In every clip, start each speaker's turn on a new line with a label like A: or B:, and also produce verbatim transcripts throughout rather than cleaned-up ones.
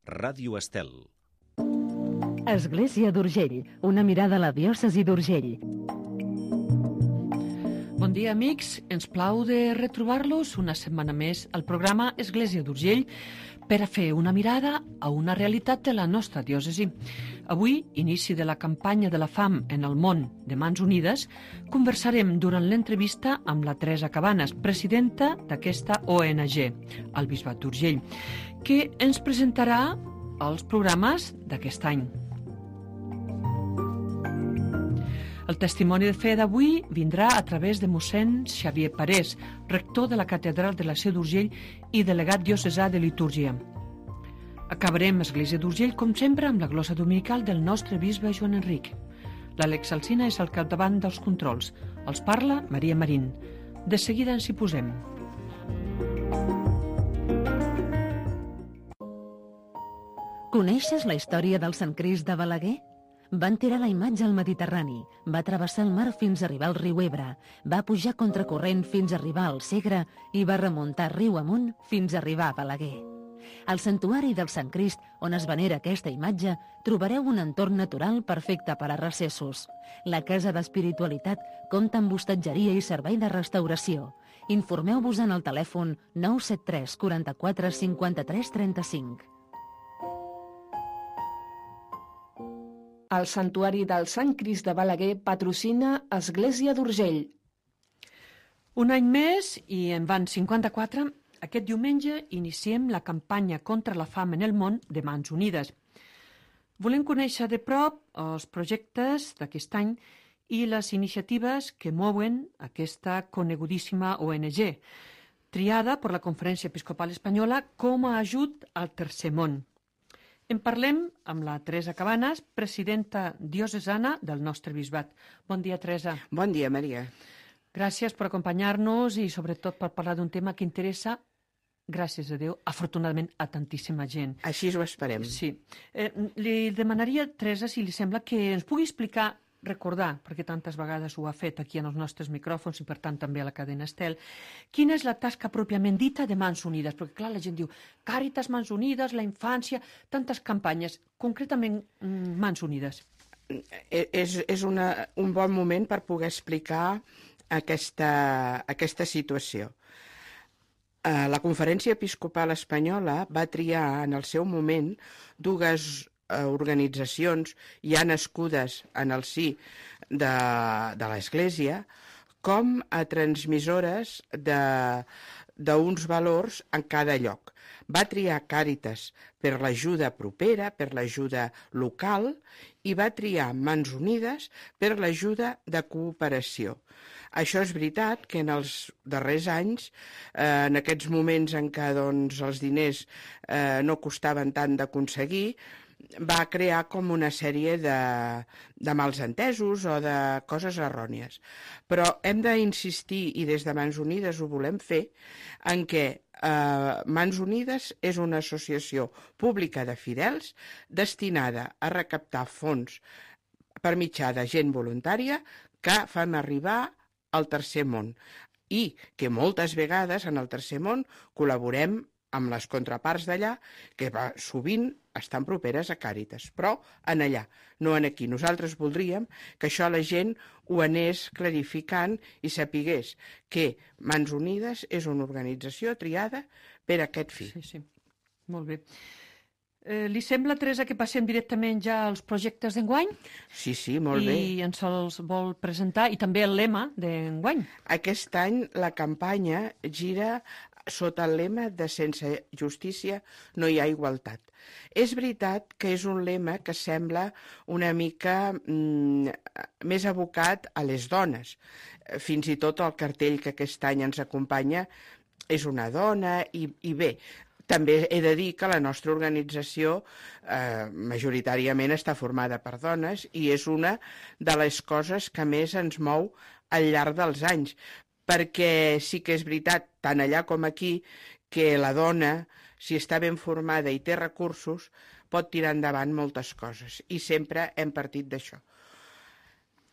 A: Ràdio Estel.
B: Església d'Urgell, una mirada a la diòcesi d'Urgell.
C: Bon dia, amics. Ens plau de retrobar-los una setmana més al programa Església d'Urgell per a fer una mirada a una realitat de la nostra diòcesi. Avui, inici de la campanya de la fam en el món de Mans Unides, conversarem durant l'entrevista amb la Teresa Cabanes, presidenta d'aquesta O N G, al Bisbat d'Urgell, que ens presentarà els programes d'aquest any. El testimoni de fe d'avui vindrà a través de mossèn Xavier Parés, rector de la Catedral de la Seu d'Urgell i delegat diocesà de litúrgia. Acabarem Església d'Urgell, com sempre, amb la glosa dominical del nostre bisbe Joan Enric. L'Àlex Alsina és al capdavant dels controls. Els parla Maria Marín. De seguida ens hi posem.
B: Coneixes la història del Sant Crist de Balaguer? Van tirar la imatge al Mediterrani, va travessar el mar fins a arribar al riu Ebre, va pujar contracorrent fins a arribar al Segre i va remuntar riu amunt fins a arribar a Balaguer. Al santuari del Sant Crist, on es venera aquesta imatge, trobareu un entorn natural perfecte per a recessos. La Casa d'Espiritualitat compta amb hostatgeria i servei de restauració. Informeu-vos en el telèfon nou set tres quaranta-quatre cinquanta-tres trenta-cinc.
D: El Santuari del Sant Crist de Balaguer patrocina Església d'Urgell.
C: Un any més, i en van cinquanta-quatre, aquest diumenge iniciem la campanya contra la fam en el món de Mans Unides. Volem conèixer de prop els projectes d'aquest any i les iniciatives que mouen aquesta conegudíssima O N G, triada per la Conferència Episcopal Espanyola com a ajut al tercer món. En parlem amb la Teresa Cabanes, presidenta diocesana del nostre bisbat. Bon dia, Teresa.
E: Bon dia, Maria.
C: Gràcies per acompanyar-nos i sobretot per parlar d'un tema que interessa, gràcies a Déu, afortunadament a tantíssima gent.
E: Així ho esperem.
C: Sí. Eh, li demanaria, Teresa, si li sembla, que ens pugui explicar, recordar, perquè tantes vegades ho ha fet aquí en els nostres micròfons i per tant també a la cadena Estel, quina és la tasca pròpiament dita de Mans Unides? Perquè clar, la gent diu Càritas, Mans Unides, la infància, tantes campanyes. Concretament, Mans Unides.
E: És, és una, un bon moment per poder explicar aquesta, aquesta situació. La Conferència Episcopal Espanyola va triar en el seu moment dues organitzacions ja nascudes en el si de, de l'Església com a transmissores d'uns valors en cada lloc. Va triar Càritas per l'ajuda propera, per l'ajuda local, i va triar Mans Unides per l'ajuda de cooperació. Això és veritat que en els darrers anys, eh, en aquests moments en què doncs, els diners eh, no costaven tant d'aconseguir, va crear com una sèrie de, de mals entesos o de coses errònies. Però hem d'insistir, i des de Mans Unides ho volem fer, en què eh, Mans Unides és una associació pública de fidels destinada a recaptar fons per mitjà de gent voluntària que fan arribar al tercer món i que moltes vegades en el tercer món col·laborem amb les contraparts d'allà, que va, sovint estan properes a Càritas, però en allà, no en aquí. Nosaltres voldríem que això la gent ho anés clarificant i sapigués que Mans Unides és una organització triada per a aquest fi.
C: Sí, sí, molt bé. Eh, li sembla, Teresa, que passem directament ja als projectes d'enguany?
E: Sí, sí, molt bé.
C: I ens els vol presentar, i també el lema d'enguany.
E: Aquest any la campanya gira sota el lema de sense justícia no hi ha igualtat. És veritat que és un lema que sembla una mica mm, més abocat a les dones. Fins i tot el cartell que aquest any ens acompanya és una dona i, i bé, també he de dir que la nostra organització eh, majoritàriament està formada per dones i és una de les coses que més ens mou al llarg dels anys, perquè sí que és veritat, tant allà com aquí, que la dona, si està ben formada i té recursos, pot tirar endavant moltes coses, i sempre hem partit d'això.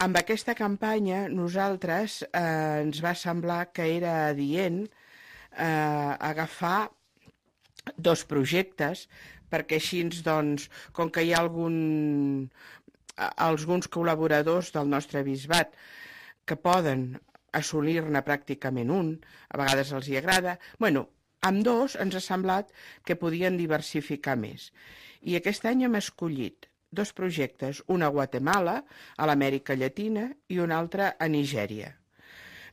E: Amb aquesta campanya, nosaltres eh, ens va semblar que era adient eh, agafar dos projectes perquè així, doncs, com que hi ha algun, alguns col·laboradors del nostre bisbat que poden assolir-ne pràcticament un, a vegades els hi agrada. Bueno, amb dos ens ha semblat que podien diversificar més. I aquest any hem escollit dos projectes, un a Guatemala, a l'Amèrica Llatina, i un altre a Nigèria,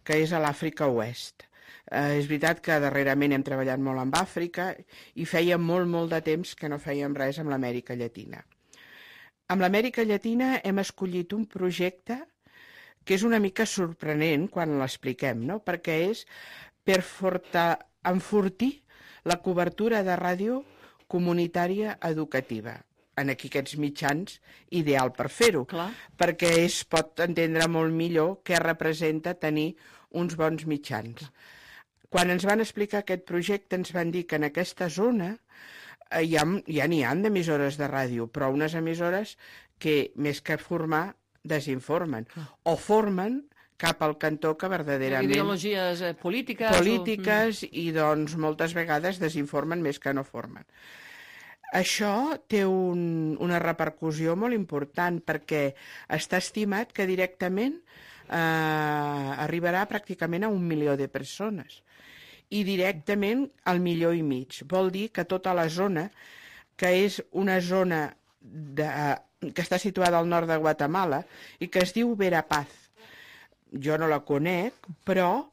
E: que és a l'Àfrica Oest. Eh, és veritat que darrerament hem treballat molt amb Àfrica i fèiem molt, molt de temps que no fèiem res amb l'Amèrica Llatina. Amb l'Amèrica Llatina hem escollit un projecte que és una mica sorprenent quan l'expliquem, no? Perquè és per forta, enfortir la cobertura de ràdio comunitària educativa. En aquí aquests mitjans, ideal per fer-ho, perquè es pot entendre molt millor què representa tenir uns bons mitjans. Clar. Quan ens van explicar aquest projecte ens van dir que en aquesta zona eh, ja ja n'hi ha d'emissores de ràdio, però unes emissores que més que formar desinformen, Clar. o formen cap al cantó que verdaderament...
C: Ideologies eh, polítiques...
E: Polítiques
C: o...
E: i doncs moltes vegades desinformen més que no formen. Això té un, una repercussió molt important perquè està estimat que directament eh, arribarà pràcticament a un milió de persones i directament al milió i mig. Vol dir que tota la zona, que és una zona de, que està situada al nord de Guatemala i que es diu Verapaz, jo no la conec, però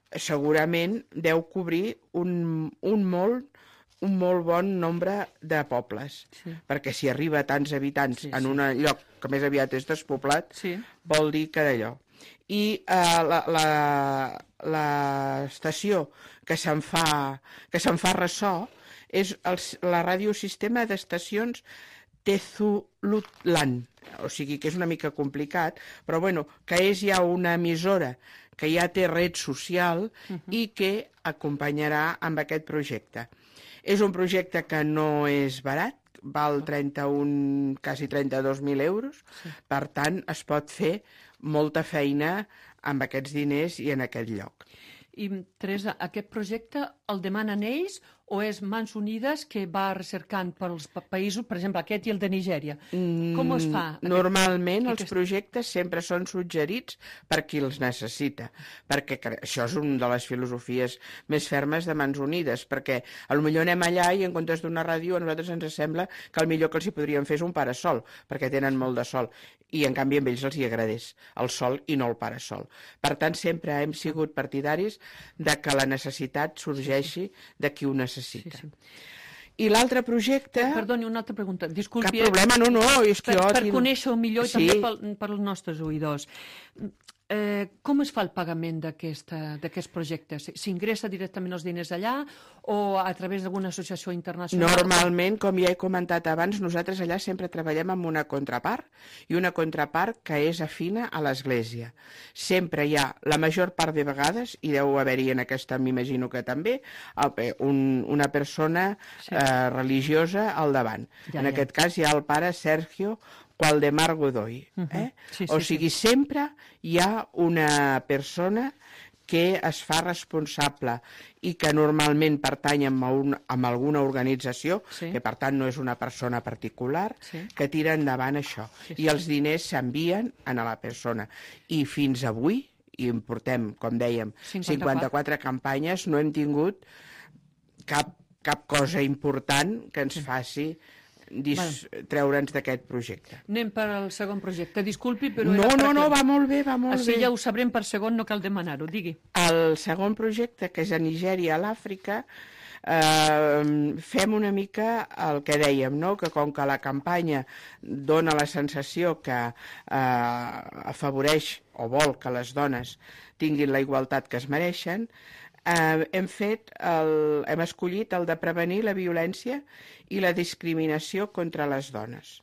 E: segurament deu cobrir un, un molt un molt bon nombre de pobles, sí. perquè si arriba a tants habitants sí, en sí. un lloc que més aviat és despoblat, sí. vol dir que d'allò. I eh, l'estació que se'n fa, que se'n fa ressò és el, la radiosistema d'estacions Tezulutlan, o sigui que és una mica complicat, però bueno, que és ja una emissora que ja té red social uh-huh. i que acompanyarà amb aquest projecte. És un projecte que no és barat, val trenta-un, quasi trenta-dos mil euros, sí. per tant es pot fer molta feina amb aquests diners i en aquest lloc.
C: I, Teresa, aquest projecte el demanen ells o és Mans Unides que va recercant pels països, per exemple, aquest i el de Nigèria? Com es fa?
E: Normalment
C: aquest...
E: els aquest... projectes sempre són suggerits per qui els necessita, perquè això és una de les filosofies més fermes de Mans Unides, perquè potser anem allà i en comptes d'una ràdio a nosaltres ens sembla que el millor que els hi podríem fer és un parasol, perquè tenen molt de sol, i en canvi amb ells els hi agradés el sol i no el parasol. Per tant, sempre hem sigut partidaris de que la necessitat sorgeixi de qui ho necessita. Sí, sí. I l'altre projecte...
C: Perdoni, una altra pregunta. Disculpi,
E: cap problema, no, no. És que
C: per,
E: jo
C: per
E: tinc...
C: conèixer-ho millor i
E: sí.
C: també pel, per als nostres oïdors. Eh, com es fa el pagament d'aquests projectes? S'ingressa directament els diners allà o a través d'alguna associació internacional?
E: Normalment, com ja he comentat abans, nosaltres allà sempre treballem amb una contrapart i una contrapart que és afina a l'Església. Sempre hi ha, la major part de vegades, i deu haver-hi en aquesta, m'imagino que també, un, una persona sí. eh, religiosa al davant. Ja, en ja. aquest cas hi ha el pare Sergio Qualdemar Godoy. Eh? Uh-huh. sí, sí, o sigui, sí. sempre hi ha una persona que es fa responsable i que normalment pertany a, un, a alguna organització, sí. que per tant no és una persona particular, sí. que tira endavant això. Sí, sí. I els diners s'envien a la persona. I fins avui, i en portem, com dèiem, cinquanta-quatre, cinquanta-quatre campanyes, no hem tingut cap, cap cosa important que ens faci Dis, bueno. treure'ns d'aquest projecte.
C: Anem per al segon projecte. Disculpi, però...
E: No, no, no, va molt bé, va molt
C: Així
E: bé.
C: ja ho sabrem per segon, no cal demanar-ho, digui.
E: El segon projecte, que és a Nigèria, a l'Àfrica, eh, fem una mica el que dèiem, no? Que com que la campanya dona la sensació que eh, afavoreix o vol que les dones tinguin la igualtat que es mereixen, Eh, hem fet el, hem escollit el de prevenir la violència i la discriminació contra les dones.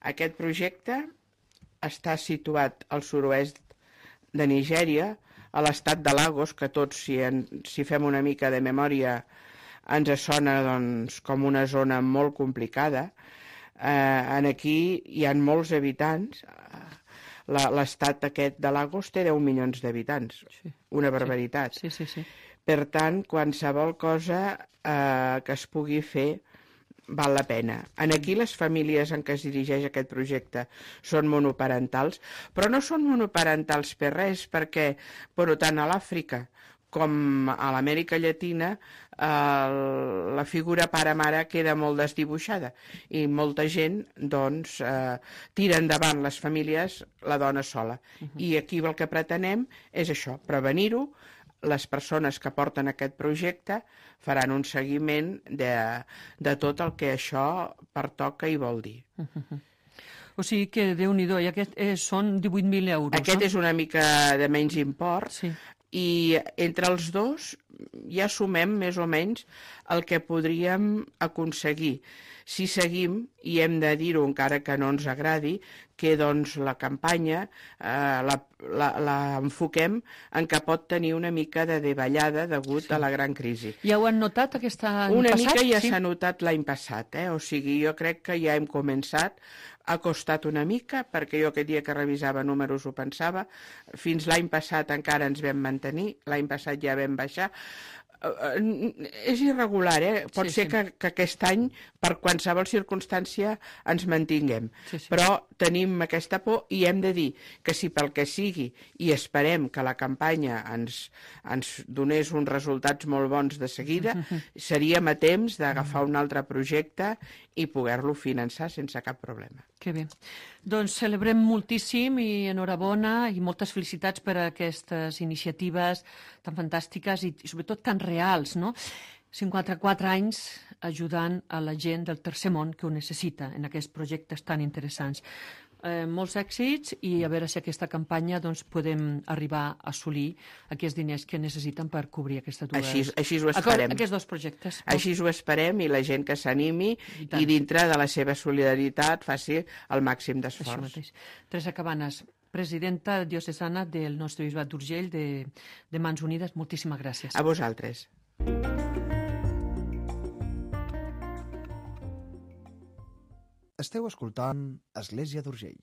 E: Aquest projecte està situat al sud-oest de Nigèria, a l'estat de Lagos, que tots, si, en, si fem una mica de memòria, ens sona doncs, com una zona molt complicada. Eh, en aquí hi ha molts habitants. L'estat aquest de Lagos té deu milions d'habitants. Sí. Una barbaritat.
C: Sí, sí, sí. sí.
E: Per tant, qualsevol cosa eh, que es pugui fer val la pena. En aquí les famílies en què es dirigeix aquest projecte són monoparentals, però no són monoparentals per res, perquè, per tant, a l'Àfrica com a l'Amèrica Llatina, eh, la figura pare-mare queda molt desdibuixada i molta gent doncs, eh, tira endavant les famílies la dona sola. Uh-huh. I aquí el que pretenem és això, prevenir-ho. Les persones que porten aquest projecte faran un seguiment de, de tot el que això pertoca i vol dir.
C: Uh-huh. O sigui que, Déu-n'hi-do, i aquest eh, són divuit mil euros,
E: Aquest
C: no?
E: és una mica de menys import,
C: Sí.
E: i entre els dos ja sumem més o menys el que podríem aconseguir. Si seguim, i hem de dir-ho encara que no ens agradi, que doncs la campanya eh, la, la, la enfoquem en que pot tenir una mica de davallada degut sí. a la gran crisi.
C: Ja ho han notat aquest any
E: una
C: passat?
E: Una mica ja
C: sí.
E: s'ha notat l'any passat, eh? O sigui, jo crec que ja hem començat, ha costat una mica, perquè jo aquest dia que revisava números ho pensava, fins l'any passat encara ens vam mantenir, l'any passat ja vam baixar. Uh, és irregular, eh? Pot sí, ser sí. Que, que aquest any, per qualsevol circumstància, ens mantinguem. Sí, sí. Però tenim aquesta por i hem de dir que si pel que sigui, i esperem que la campanya ens, ens donés uns resultats molt bons de seguida, seríem a temps d'agafar un altre projecte i poder-lo finançar sense cap problema.
C: Que bé. Doncs celebrem moltíssim i enhorabona i moltes felicitats per a aquestes iniciatives tan fantàstiques i, i sobretot tan reals, no? cinquanta-quatre anys ajudant a la gent del tercer món que ho necessita en aquests projectes tan interessants. Eh, molts èxits i a veure si aquesta campanya doncs, podem arribar a assolir aquests diners que necessiten per cobrir aquestes dues...
E: Així, així ho esperem.
C: Aquests dos projectes.
E: Així ho esperem i la gent que s'animi i, i dintre de la seva solidaritat faci el màxim d'esforç.
C: Teresa Cabanes, presidenta diocesana del nostre bisbat d'Urgell de, de Mans Unides, moltíssimes gràcies.
E: A vosaltres.
A: Esteu escoltant Església d'Urgell.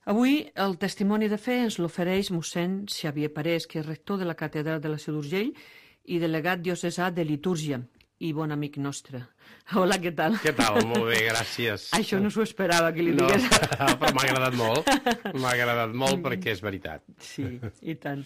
C: Avui el testimoni de fe ens l'ofereix mossèn Xavier Parés, que és rector de la catedral de la Seu d'Urgell i delegat diocesà de litúrgia i bon amic nostre. Hola, què tal?
F: Què tal? Molt bé, gràcies.
C: Això no s'ho esperava que li
F: no,
C: digués.
F: Però m'ha agradat molt. M'ha agradat molt perquè és veritat.
C: Sí, i tant.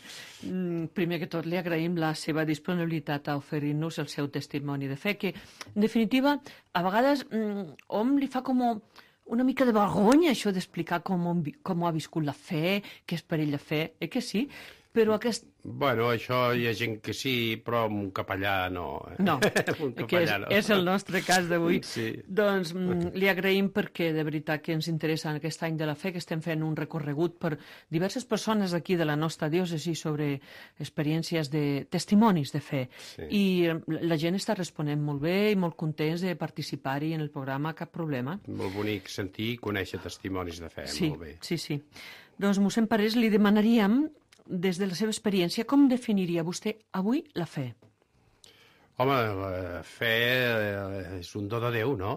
C: Primer que tot li agraïm la seva disponibilitat a oferir-nos el seu testimoni de fe, que, en definitiva, a vegades hom li fa com una mica de vergonya això d'explicar com, com ha viscut la fe, què és per ell la fe, eh que sí? Però aquest...
F: Bueno, això hi ha gent que sí, però amb un capellà no.
C: No,
F: capellà
C: que és,
F: no.
C: és el nostre cas d'avui.
F: Sí.
C: Doncs li agraïm perquè de veritat que ens interessa en aquest any de la fe, que estem fent un recorregut per diverses persones aquí de la nostra diòcesi sobre experiències de testimonis de fe. Sí. I la gent està responent molt bé i molt contents de participar-hi en el programa, cap problema.
F: Molt bonic sentir i conèixer testimonis de fe,
C: sí,
F: molt bé.
C: Sí, sí. Doncs, mossèn Parés, li demanaríem, des de la seva experiència, com definiria vostè avui la fe?
F: Home, la fe és un do de Déu, no?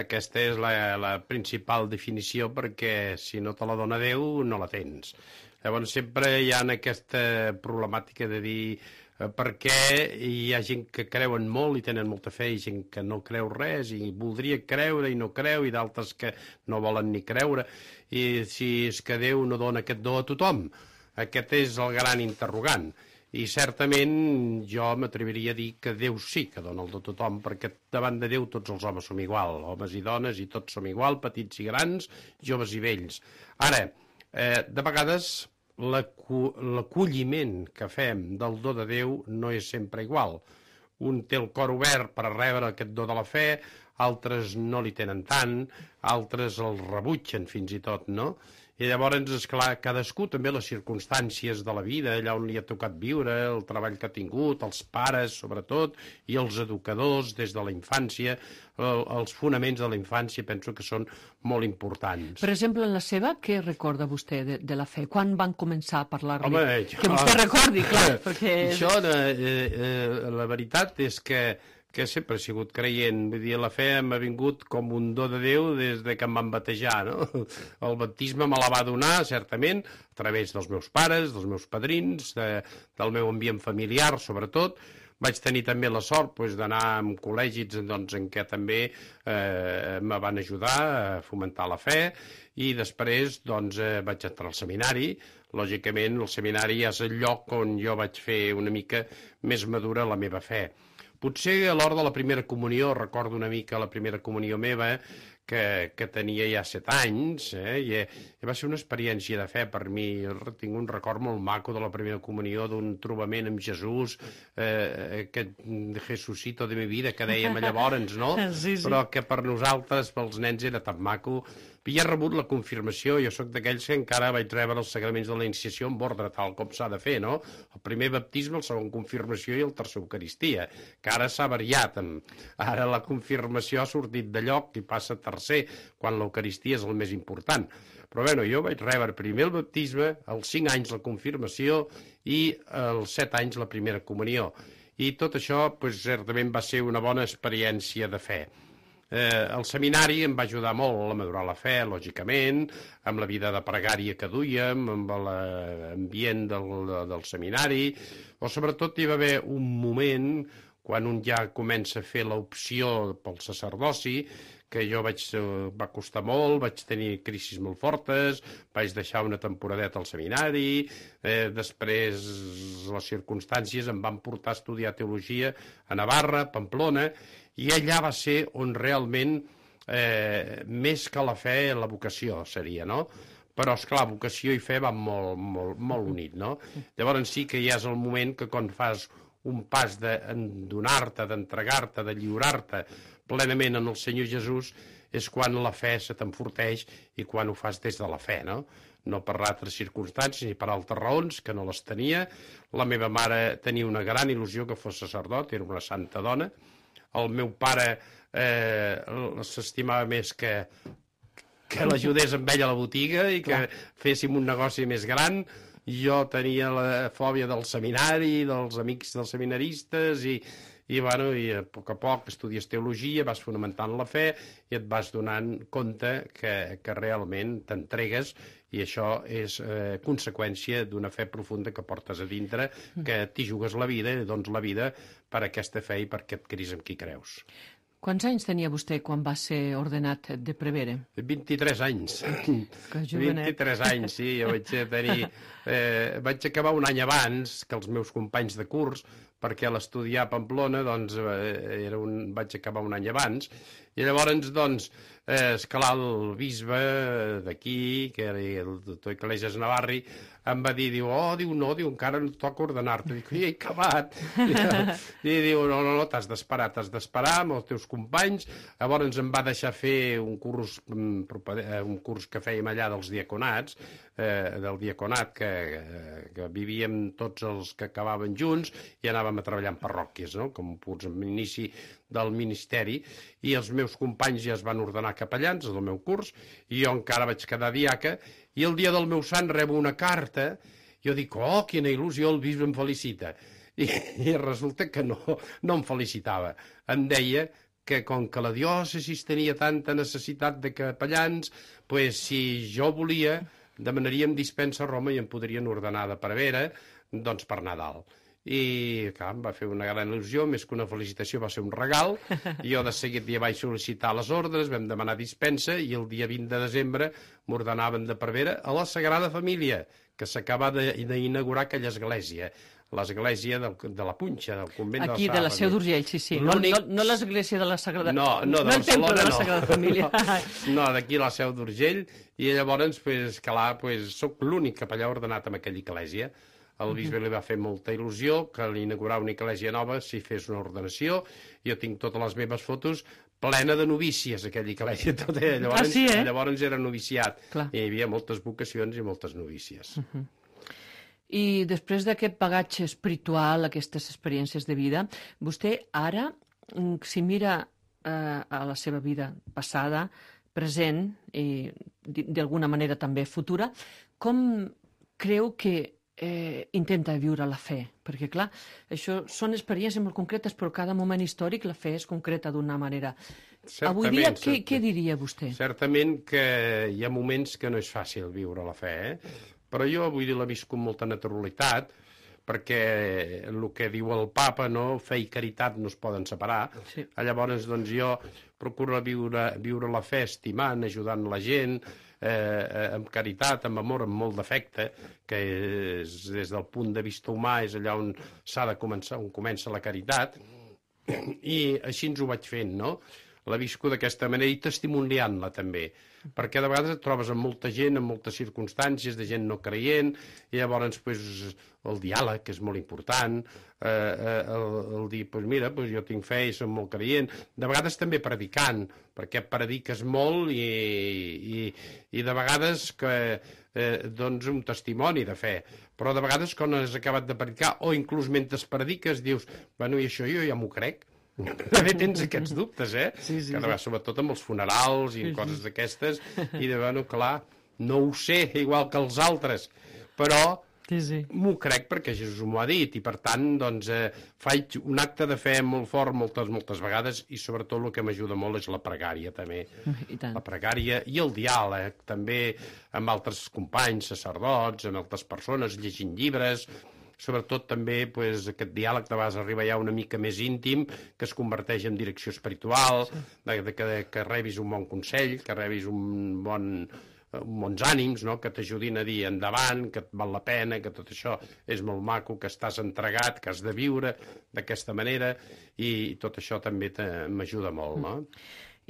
F: Aquesta és la, la principal definició, perquè si no te la dona Déu, no la tens. Llavors sempre hi ha aquesta problemàtica de dir eh, per què hi ha gent que creuen molt i tenen molta fe i gent que no creu res i voldria creure i no creu i d'altres que no volen ni creure. I si és que Déu no dona aquest do a tothom. Aquest és el gran interrogant. I certament jo m'atreviria a dir que Déu sí que dona el do a tothom, perquè davant de Déu tots els homes som igual, homes i dones, i tots som igual, petits i grans, joves i vells. Ara, eh, de vegades l'acolliment que fem del do de Déu no és sempre igual. Un té el cor obert per rebre aquest do de la fe, altres no li tenen tant, altres el rebutgen fins i tot, no? I llavors, esclar, cadascú també les circumstàncies de la vida, allà on li ha tocat viure, el treball que ha tingut, els pares, sobretot, i els educadors des de la infància, el, els fonaments de la infància penso que són molt importants.
C: Per exemple, en la seva, què recorda vostè de, de la fe? Quan van començar a parlar-li?
F: Home, jo...
C: Que vostè recordi, clar, perquè...
F: Això, eh, eh, la veritat és que que sempre he sigut creient. Vull dir, la fe m'ha vingut com un do de Déu des de que em van batejar, no? El baptisme me la va donar, certament, a través dels meus pares, dels meus padrins, de, del meu ambient familiar, sobretot. Vaig tenir també la sort doncs, d'anar a col·legis doncs, en què també eh, me van ajudar a fomentar la fe, i després doncs, eh, vaig entrar al seminari. Lògicament, el seminari és el lloc on jo vaig fer una mica més madura la meva fe. Potser a l'hora de la primera comunió, recordo una mica la primera comunió meva, que, que tenia ja set anys, eh, i, i va ser una experiència de fe per mi. Jo tinc un record molt maco de la primera comunió, d'un trobament amb Jesús, eh, aquest Jesucito de mi vida, que dèiem llavors, no?
C: Sí, sí.
F: Però que per nosaltres, pels nens, era tan maco. I he rebut la confirmació, jo sóc d'aquells que encara vaig rebre els sagraments de la iniciació en ordre, tal com s'ha de fer, no? El primer baptisme, el segon confirmació i el tercer eucaristia, que ara s'ha variat. Ara la confirmació ha sortit de lloc i passa a tercer, quan l'eucaristia és el més important. Però bueno, jo vaig rebre primer el baptisme, als cinc anys la confirmació i als set anys la primera comunió. I tot això, doncs, certament va ser una bona experiència de fe. Eh, el seminari em va ajudar molt a madurar la fe, lògicament, amb la vida de pregària que duíem, amb l'ambient del, del seminari, o sobretot hi va haver un moment, quan un ja comença a fer l'opció pel sacerdoci, que jo vaig, va costar molt, vaig tenir crisis molt fortes, vaig deixar una temporadeta al seminari, eh, després les circumstàncies em van portar a estudiar teologia a Navarra, Pamplona, i allà va ser on realment, eh, més que la fe, la vocació seria, no? Però, esclar, vocació i fe van molt, molt, molt unit, no? Llavors sí que ja és el moment que quan fas un pas de donar-te, d'entregar-te, de lliurar-te plenament en el Senyor Jesús, és quan la fe se t'enforteix i quan ho fas des de la fe, no? No per altres circumstàncies ni per altres raons, que no les tenia. La meva mare tenia una gran il·lusió que fos sacerdot, era una santa dona. El meu pare eh, s'estimava més que, que l'ajudés amb ell a la botiga i que Clar. féssim un negoci més gran. Jo tenia la fòbia del seminari, dels amics dels seminaristes, i, i, bueno, i a poc a poc estudies teologia, vas fonamentant la fe i et vas donant compte que, que realment t'entregues, i això és eh, conseqüència d'una fe profunda que portes a dintre, que t'hi jugues la vida i dones la vida per aquesta fe i per aquest Crist en qui creus.
C: Quants anys tenia vostè quan va ser ordenat de prevere?
F: vint-i-tres anys.
C: Que jovenet.
F: vint-i-tres anys, sí. Jo vaig tenir... Eh, vaig acabar un any abans que els meus companys de curs, perquè a l'estudiar a Pamplona, doncs, eh, era un, vaig acabar un any abans, i llavors, doncs, eh, escalar el bisbe d'aquí, que era el doctor Iglesias Navarri, em va dir, diu, oh, diu, no, diu, encara no toca ordenar-te. Dic, he acabat. I diu, no, no, no, t'has d'esperar, t'has d'esperar amb els teus companys. Llavors em va deixar fer un curs, un curs que fèiem allà dels diaconats, eh, del diaconat, que, que vivíem tots els que acabaven junts i anàvem a treballar en parròquies, no?, com punts en inici del ministeri, i els meus companys ja es van ordenar capellans del meu curs, i jo encara vaig quedar diaca, i el dia del meu sant rebo una carta, i jo dic, oh, quina il·lusió, el bisbe em felicita. I, i resulta que no, no em felicitava. Em deia que com que la diòcesi tenia tanta necessitat de capellans, pues, si jo volia, demanaríem dispensa a Roma i em podrien ordenar de prevere, doncs per Nadal. I, clar, em va fer una gran il·lusió, més que una felicitació va ser un regal, i jo de seguit ja vaig sol·licitar les ordres, vam demanar dispensa, i el dia vint de desembre m'ordenaven de prevere a la Sagrada Família, que s'acaba d'inaugurar aquella església, l'església de la Punxa, del convent
C: Aquí,
F: de la Sagrada Família.
C: Aquí, de la Seu d'Urgell, sí, sí. No, no, no l'església de la Sagrada...
F: No, no, de
C: no el temple de la
F: no.
C: Sagrada Família.
F: No, no, d'aquí la Seu d'Urgell, i llavors, pues, clar, pues, soc l'únic capellà ordenat en aquella església. El bisbe li va fer molta il·lusió que l'inaugurar una església nova s'hi fes una ordenació. Jo tinc totes les meves fotos plena de novícies, aquella església. Tot, eh? Llavors,
C: ah, sí, eh?
F: llavors era noviciat.
C: Clar.
F: I hi havia moltes vocacions i moltes novícies.
C: Uh -huh. I després d'aquest bagatge espiritual, aquestes experiències de vida, vostè ara, si mira eh, a la seva vida passada, present i d'alguna manera també futura, com creu que eh, intenta viure la fe? Perquè, clar, això són experiències molt concretes, però cada moment històric la fe és concreta d'una manera.
F: Certament,
C: Avui dia, què,
F: certament.
C: què diria vostè?
F: Certament que hi ha moments que no és fàcil viure la fe, eh? Però jo, vull dir, la visc amb molta naturalitat, perquè el que diu el papa, no? Fe i caritat no es poden separar.
C: Sí.
F: Llavors, doncs, jo procuro viure, viure la fe estimant, ajudant la gent, eh, amb caritat, amb amor, amb molt d'afecte, que és, des del punt de vista humà és allà on s'ha de començar, on comença la caritat, i així ens ho vaig fent, no? La visco d'aquesta manera i testimoniant-la també, perquè de vegades et trobes amb molta gent, amb moltes circumstàncies, de gent no creient, i llavors pues, el diàleg, que és molt important, eh, eh, el, el dir, pues mira, pues jo tinc fe i som molt creient, de vegades també predicant, perquè prediques molt i, i, i de vegades que, eh, doncs un testimoni de fe, però de vegades quan has acabat de predicar, o inclús mentre prediques dius, bueno, i això jo ja m'ho crec, també tens aquests dubtes, eh?
C: Sí, sí,
F: que sí. Sobretot amb els funerals i sí, coses sí. d'aquestes, i de, bueno, clar, no ho sé igual que els altres, però
C: sí, sí.
F: m'ho crec perquè Jesús m'ho ha dit, i per tant, doncs, eh, faig un acte de fe molt fort moltes, moltes vegades, i sobretot el que m'ajuda molt és la pregària, també.
C: I tant.
F: La pregària i el diàleg, també amb altres companys, sacerdots, amb altres persones, llegint llibres, sobretot també pues, aquest diàleg de vegades arriba ja una mica més íntim, que es converteix en direcció espiritual, sí. de, de, que, que rebis un bon consell, que rebis un bon, un bons ànims, no? Que t'ajudin a dir endavant, que et val la pena, que tot això és molt maco, que estàs entregat, que has de viure d'aquesta manera, i tot això també m'ajuda molt, no?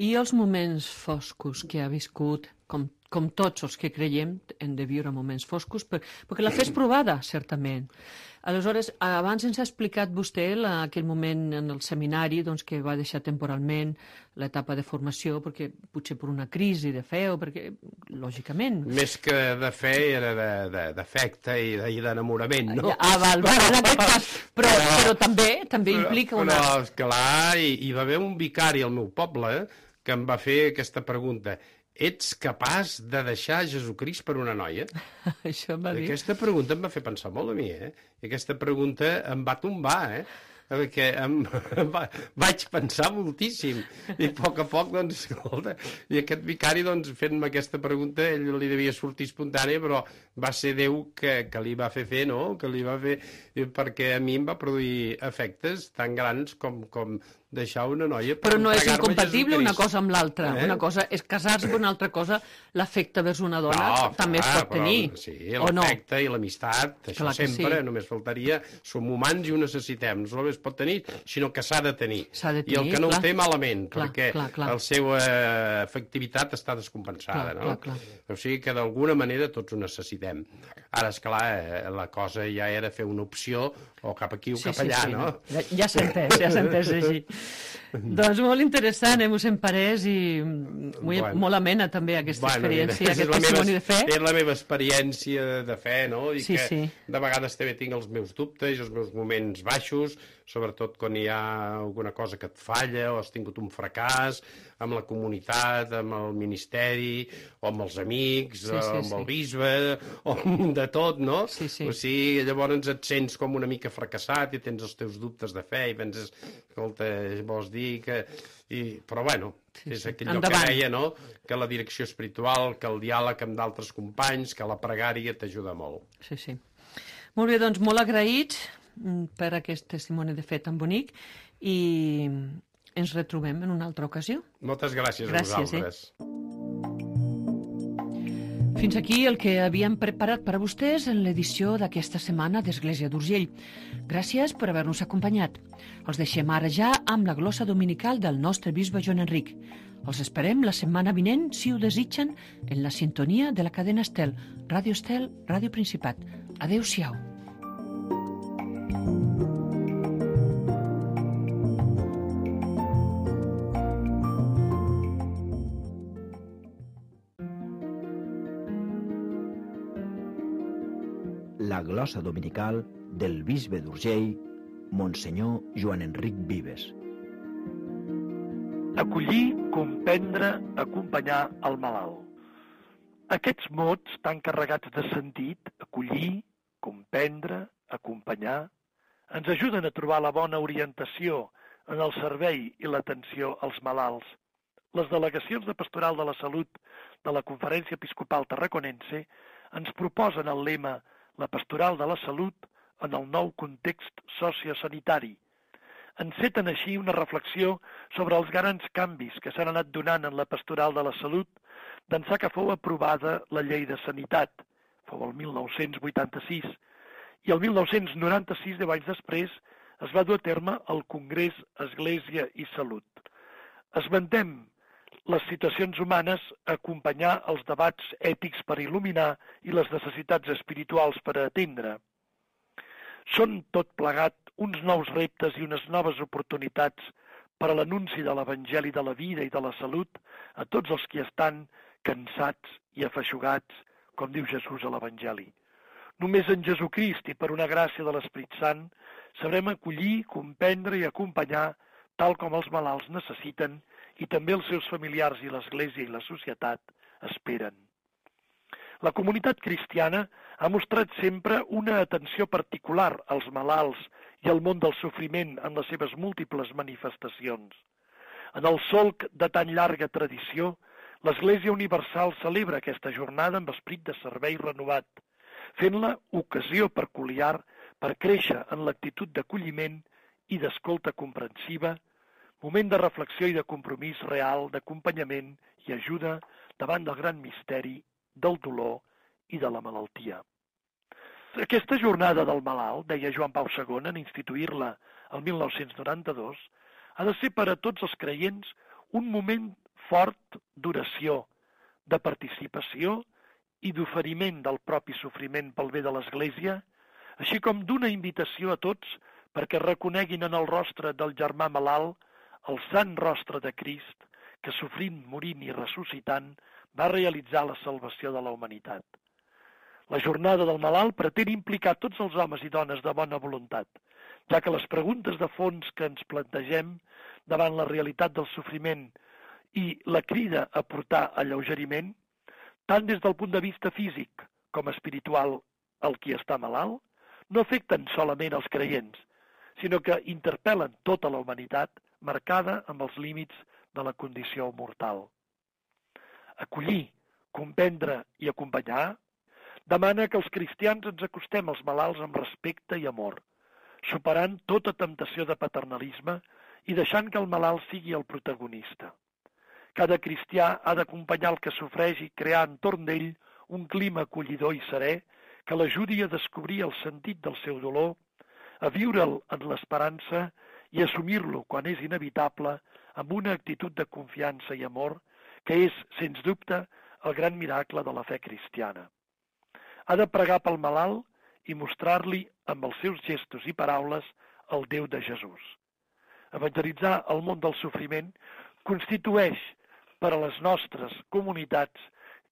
C: I els moments foscos que ha viscut, com, com tots els que creiem, hem de viure moments foscos, per, perquè la fe és provada, certament. Aleshores, abans ens ha explicat vostè la, aquell moment en el seminari doncs, que va deixar temporalment l'etapa de formació, perquè potser per una crisi de fe o perquè, lògicament...
F: Més que de fe era d'afecte i d'enamorament, no?
C: Ah, val, val, en aquest cas. Però, però, però també també
F: però,
C: implica una...
F: Però, esclar, hi, hi va haver un vicari al meu poble que em va fer aquesta pregunta: ets capaç de deixar Jesucrist per una noia?
C: Això em va dir.
F: Aquesta pregunta em va fer pensar molt a mi, eh? I aquesta pregunta em va tombar, eh? Perquè em, em va, vaig pensar moltíssim, i a poc a poc, doncs, escolta, i aquest vicari, doncs, fent-me aquesta pregunta, ell li devia sortir espontània, però va ser Déu que, que li va fer fer, no?, que li va fer, perquè a mi em va produir efectes tan grans com, com deixar una noia per
C: però no és
F: entregar-me
C: incompatible una
F: Jesucrist.
C: cosa amb l'altra,
F: Eh?
C: una cosa és casar-se, una altra cosa l'afecte vers una dona
F: No,
C: també
F: clar,
C: es pot
F: però,
C: tenir,
F: sí,
C: o no?
F: l'afecte i l'amistat, això
C: Clar que
F: sempre,
C: sí.
F: només faltaria, som humans i ho necessitem, no només pot tenir, sinó que s'ha de tenir.
C: S'ha de
F: I el
C: tenir,
F: que no
C: clar.
F: ho té malament,
C: Clar,
F: perquè
C: clar, clar.
F: la seva efectivitat està descompensada,
C: Clar,
F: no?
C: clar, clar.
F: O sigui que d'alguna manera tots ho necessitem. Ara, esclar, eh, la cosa ja era fer una opció o cap aquí o
C: Sí,
F: cap
C: sí,
F: allà,
C: sí,
F: no?
C: Ja, ja s'ha entès, ja s'ha entès així. Doncs molt interessant, eh, mossèn Parés, i molt,
F: Bueno.
C: molt amena també aquesta
F: Bueno,
C: experiència,
F: mira,
C: aquest
F: és la
C: testimoni
F: meva,
C: de fe.
F: És la meva experiència de fe, no? I
C: Sí,
F: que
C: sí.
F: de vegades també tinc els meus dubtes i els meus moments baixos, sobretot quan hi ha alguna cosa que et falla o has tingut un fracàs amb la comunitat, amb el ministeri, o amb els amics,
C: Sí, sí,
F: o amb
C: sí.
F: el bisbe, o amb de tot, no?
C: Sí, sí.
F: O sigui, llavors et sents com una mica fracassat i tens els teus dubtes de fe i penses, escolta, vols dir que... I, però bueno,
C: Sí,
F: és
C: sí.
F: aquell lloc
C: Endavant.
F: que deia, no?, que la direcció espiritual, que el diàleg amb d'altres companys, que la pregària t'ajuda molt.
C: Sí, sí. Molt bé, doncs molt agraïts mm, per aquest testimoni de fe tan bonic i ens retrobem en una altra ocasió.
F: Moltes gràcies,
C: Gràcies,
F: a vosaltres.
C: eh? Fins aquí el que havíem preparat per a vostès en l'edició d'aquesta setmana d'Església d'Urgell. Gràcies per haver-nos acompanyat. Els deixem ara ja amb la glossa dominical del nostre bisbe Joan Enric. Els esperem la setmana vinent, si ho desitgen, en la sintonia de la cadena Estel, Ràdio Estel, Ràdio Principat. Adéu-siau.
A: La glossa dominical del bisbe d'Urgell, Monsenyor Joan Enric Vives.
G: Acollir, comprendre, acompanyar el malalt. Aquests mots tan carregats de sentit, acollir, comprendre, comprendre, acompanyar, ens ajuden a trobar la bona orientació en el servei i l'atenció als malalts. Les delegacions de Pastoral de la Salut de la Conferència Episcopal Tarraconense ens proposen el lema «La Pastoral de la Salut en el nou context sociosanitari». Enceten així una reflexió sobre els grans canvis que s'han anat donant en la Pastoral de la Salut d'ençà que fou aprovada la Llei de Sanitat, fou el mil nou-cents vuitanta-sis, i el mil nou-cents noranta-sis, deu anys després, es va dur a terme el Congrés Església i Salut. Esmentem les situacions humanes a acompanyar els debats ètics per il·luminar i les necessitats espirituals per a atendre. Són tot plegat uns nous reptes i unes noves oportunitats per a l'anunci de l'Evangeli de la vida i de la salut a tots els que estan cansats i afeixugats, com diu Jesús a l'Evangeli. Només en Jesucrist i per una gràcia de l'Esperit Sant sabrem acollir, comprendre i acompanyar tal com els malalts necessiten i també els seus familiars i l'Església i la societat esperen. La comunitat cristiana ha mostrat sempre una atenció particular als malalts i al món del sofriment en les seves múltiples manifestacions. En el solc de tan llarga tradició, l'Església Universal celebra aquesta jornada amb esperit de servei renovat, fent-la ocasió peculiar per créixer en l'actitud d'acolliment i d'escolta comprensiva, moment de reflexió i de compromís real, d'acompanyament i ajuda davant del gran misteri del dolor i de la malaltia. Aquesta jornada del malalt, deia Joan Pau segon en instituir-la el mil nou-cents noranta-dos, ha de ser per a tots els creients un moment fort d'oració, de participació i d'oferiment del propi sofriment pel bé de l'Església, així com d'una invitació a tots perquè reconeguin en el rostre del germà malalt el sant rostre de Crist que, sofrint, morint i ressuscitant, va realitzar la salvació de la humanitat. La jornada del malalt pretén implicar tots els homes i dones de bona voluntat, ja que les preguntes de fons que ens plantegem davant la realitat del sofriment i la crida a portar alleugeriment, tant des del punt de vista físic com espiritual al qui està malalt, no afecten solament els creients, sinó que interpel·len tota la humanitat marcada amb els límits de la condició mortal. Acollir, comprendre i acompanyar demana que els cristians ens acostem als malalts amb respecte i amor, superant tota temptació de paternalisme i deixant que el malalt sigui el protagonista. Cada cristià ha d'acompanyar el que sofreix i crear entorn d'ell un clima acollidor i serè que l'ajudi a descobrir el sentit del seu dolor, a viure'l en l'esperança i assumir-lo quan és inevitable amb una actitud de confiança i amor que és, sens dubte, el gran miracle de la fe cristiana. Ha de pregar pel malalt i mostrar-li amb els seus gestos i paraules el Déu de Jesús. Evangelitzar el món del sofriment constitueix per a les nostres comunitats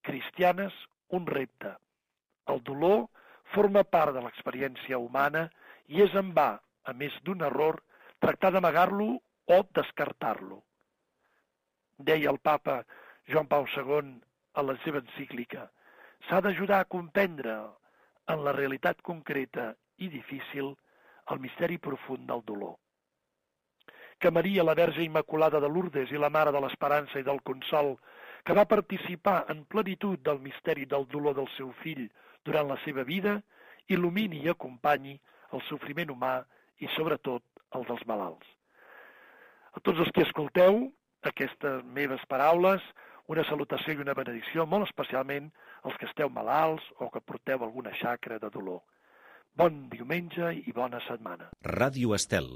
G: cristianes un repte. El dolor forma part de l'experiència humana i és en va, a més d'un error, tractar d'amagar-lo o descartar-lo. Deia el papa Joan Pau segon a la seva encíclica, s'ha d'ajudar a comprendre en la realitat concreta i difícil el misteri profund del dolor. Que Maria, la Verge Immaculada de Lourdes i la Mare de l'Esperança i del Consol, que va participar en plenitud del misteri del dolor del seu fill durant la seva vida, il·lumini i acompanyi el sofriment humà i, sobretot, el dels malalts. A tots els que escolteu aquestes meves paraules, una salutació i una benedicció, molt especialment als que esteu malalts o que porteu alguna xacra de dolor. Bon diumenge i bona setmana.
H: Ràdio Estel.